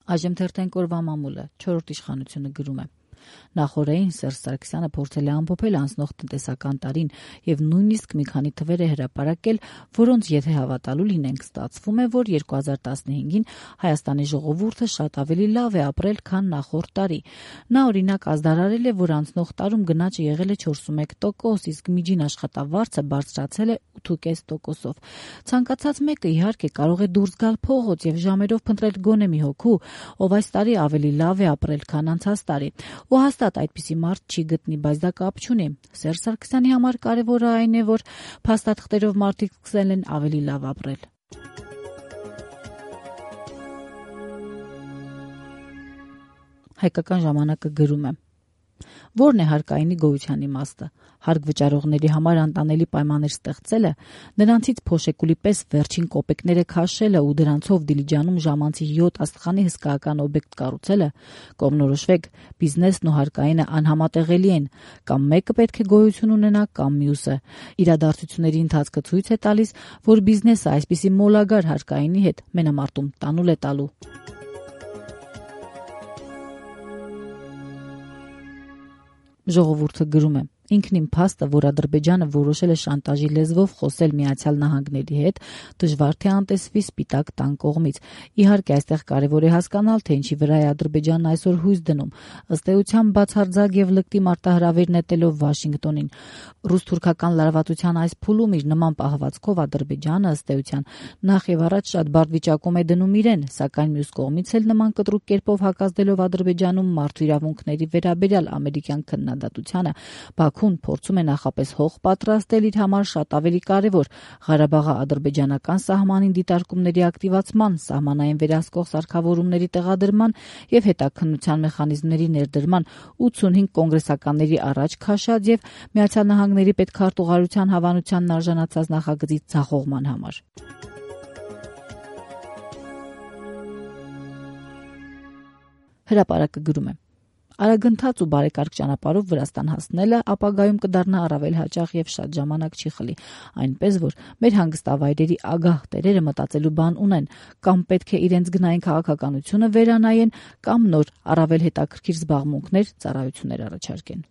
Այժմ թերթենք օրվա մամուլը, 4-րդ իշխանությունը գրում է. Նախորդին Սերժ Սարգսյանը փորձել է ամփոփել անցնող տնտեսական տարին եւ նույնիսկ մի քանի թվեր է հրապարակել, որոնց եթե հավատալու լինենք, ստացվում է, որ 2015-ին Հայաստանի ժողովուրդը շատ ավելի լավ է ապրել, քան նախորդ տարի։ Նա օրինակ ազդարարել է, որ անցնող տարում գնաճը եղել է 41%, իսկ միջին աշխատավարձը բարձրացել է 8.5%-ով։ Ցանկացած մեկը իհարկե կարող է դուրս գալ փողոց եւ ժամերով փնտրել գոնե մի հոգու, ով այս տարի ավելի լավ է ապրել, քան անցած տարի։ Ու հաստատ այդպիսի մարդ չի գտնի, բայց դա կապ չունի։ Սերժ Սարգսյանի համար կարևորը այն է, որ փաստաթղթերով մարդիկ սկսել են ավելի լավ ապրել։ Հայկական ժամանակը գրում է. Որն է հարկայինի գոյության իմաստը։ Հարկ վճարողների համար անտանելի պայմաններ ստեղծելը, նրանցից փոշեկուլի պես վերջին կոպեկները քաշելը ու դրանցով Դիլիջանում ժամանցի 7 աստղանի հսկայական օբյեկտ կառուցելը, կողմնորոշվեք, բիզնեսն ու հարկայինը անհամատեղելի են, կամ մեկը պետք է գոյություն ունենա, կամ մյուսը։ Իրադարձությունների ընթացքը ցույց է տալիս, որ բիզնեսը այսպիսի մոլագար հարկայինի հետ մենամարտում տանուլ է տալու։ Ժողովուրդը գրում է. Ինքն իմ փաստը, որ Ադրբեջանը որոշել է շանտաժի լեզվով խոսել Միացյալ Նահանգների հետ, դժվար թե անտեսվի սպիտակ տան կողմից։ Իհարկե, այստեղ կարևոր է հասկանալ, թե ինչի վրա է Ադրբեջանն այսօր հույս դնում։ Ըստ էության, բացարձակ եւ լկտի մարտահրավեր նետելով Վաշինգտոնին։ Ռուս-թուրքական լարվածության այս փուլում իր նման պահվածքով Ադրբեջանը, ըստ էության, նախ եւ առաջ շատ բարդ վիճակում է դնում իրեն, սակայն մյուս կողմից էլ նման կտրուկ կերպով հակազդելով Ադրբեջանում մարդու իրավունքների վերաբերյալ ամերիկյան քննադատությանը, Բաքուն փորձում է նախապես հող պատրաստել իր համար շատ ավելի կարևոր Ղարաբաղի ադրբեջանական սահմանին դիտարկումների ակտիվացման, սահմանային վերահսկող սարքավորումների տեղադրման եւ հետաքննության մեխանիզմների ներդրման 85 կոնգրեսականների առաջ քաշած եւ Միացյալ Նահանգների պետքարտուղարության հավանությանն արժանացած նախագծի ձախողման համար։ Հրապարակը գրում է. Արագընթաց ու բարեկարգ ճանապարհով Վրաստան հասնելը ապագայում կդառնա առավել հաճախ եւ շատ ժամանակ չի խլի, այնպես որ մեր հանգստավայրերի ագահ տերերը մտածելու բան ունեն, կամ պետք է իրենց գնային քաղաքականությունը վերանայեն, կամ նոր առավել հետաքրքիր զբաղմունքներ, ծառայություններ առաջարկեն։